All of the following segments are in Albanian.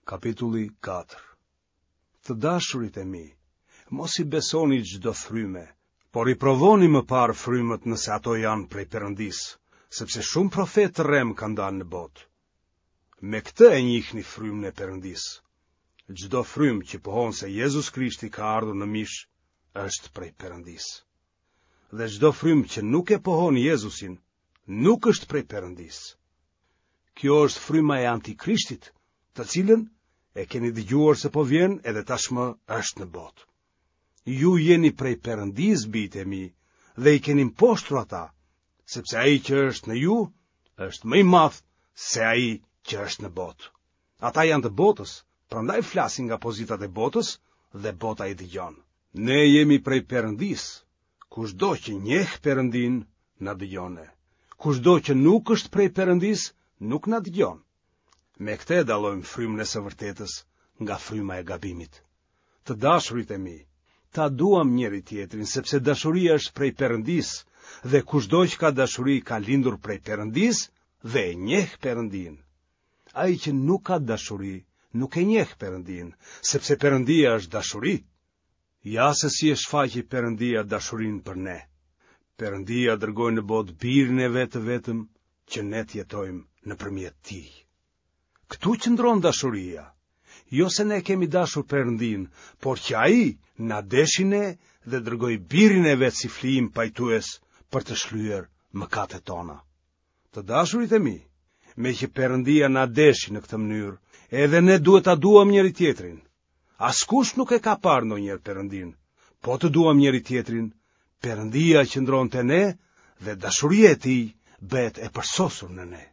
Kapitulli 4 Të dashurit e mi, mos i besoni çdo fryme, por i provoni më parë frymët nëse ato janë prej Perëndisë, sepse shumë profetë të rremë kanë dalë në botë. Me këtë e njihni frymën e Perëndisë. Çdo frymë që pohon se Jezus Krishti ka ardhur në mish, është prej Perëndisë. Dhe çdo frymë që nuk e pohon Jezusin, nuk është prej Perëndisë. Kjo është fryma e Antikrishtit, të cilën e keni dëgjuar se po vjen edhe tashmë është në botë. Ju jeni prej Perëndisë, bijtë e mi, dhe i keni mposhtur ata, sepse ai që është në ju është më i madh se ai që është në botë. Ata janë të botës, prandaj flasin nga pozitat e botës dhe bota i dëgjon. Ne jemi prej Perëndisë, kushdo që njeh Perëndinë, na dëgjon ne. Kushdo që nuk është prej Perëndisë, nuk na dëgjon. Me këtë e dallojmë frymën e së vërtetës nga fryma e gabimit. Të dashurit e mi, ta duam njëri-tjetrin, sepse dashuria është prej Perëndisë, dhe kushdo që ka dashuri ka lindur prej Perëndisë dhe e njeh Perëndinë. Ai që nuk ka dashuri, nuk e njeh Perëndinë, sepse Perëndia është dashuri. Ja se si e shfaqi Perëndia dashurinë për ne. Perëndia dërgoi në botë birin e vet të vetëm që ne të jetojmë nëpërmjet tij. Këtu qëndron dashuria. Jo se ne kemi dashur Perëndinë, por që ai na deshi ne dhe dërgoi birin e vet si flijim pajtues për të shlyer mëkatet tona. Të dashurit e mi, meqë Perëndia na deshi në këtë mënyrë, edhe ne duhet ta duam njëri-tjetrin. Askush nuk e ka parë ndonjëherë Perëndinë. Po të duam njëri-tjetrin, Perëndia qëndron te ne dhe dashuria e tij bëhet e përsosur në ne.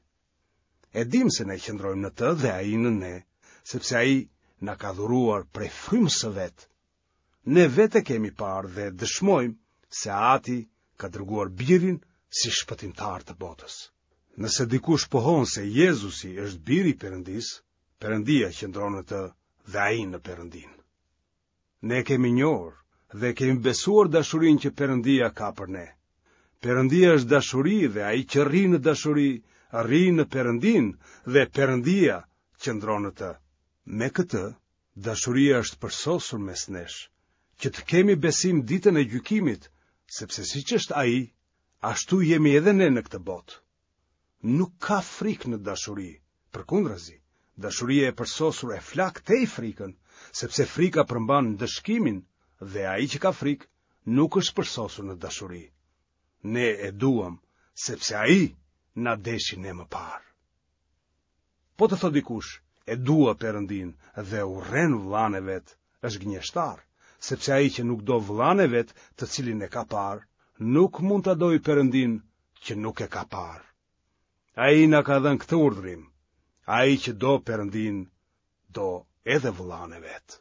E dimë se ne qëndrojmë në të dhe ai në ne, sepse ai na ka dhuruar prej frymës së vet. Ne vetë e kemi parë dhe dëshmojmë se Ati ka dërguar birin si shpëtimtar të botës. Nëse dikush pohon se Jezusi është biri i Perëndisë, Perëndia qëndron në të dhe ai në Perëndinë. Ne kemi njohur dhe kemi besuar dashurinë që Perëndia ka për ne. Perëndia është dashuri dhe ai që rri në dashuri, rri në Perëndinë dhe Perëndia qëndron në të. Me këtë, dashuria është përsosur mes nesh, që të kemi besim ditën e gjykimit, sepse siç është ai, ashtu jemi edhe ne në këtë botë. Nuk ka frikë në dashuri, përkundrazi, dashuria e përsosur e flak tej frikën, sepse frika përmban ndëshkimin dhe ai që ka frikë nuk është përsosur në dashuri. Ne e duam, sepse ai na deshi ne më parë. Po të thotë dikush, e dua Perëndinë dhe urren vëllanë e vet, është gënjeshtar, sepse ai që nuk do vëllanë e vet, të cilin e ka parë, nuk mund ta dojë Perëndinë që nuk e ka parë. Ai na ka dhënë këtë urdhrim, ai që do Perëndinë, do edhe vëllanë e vet.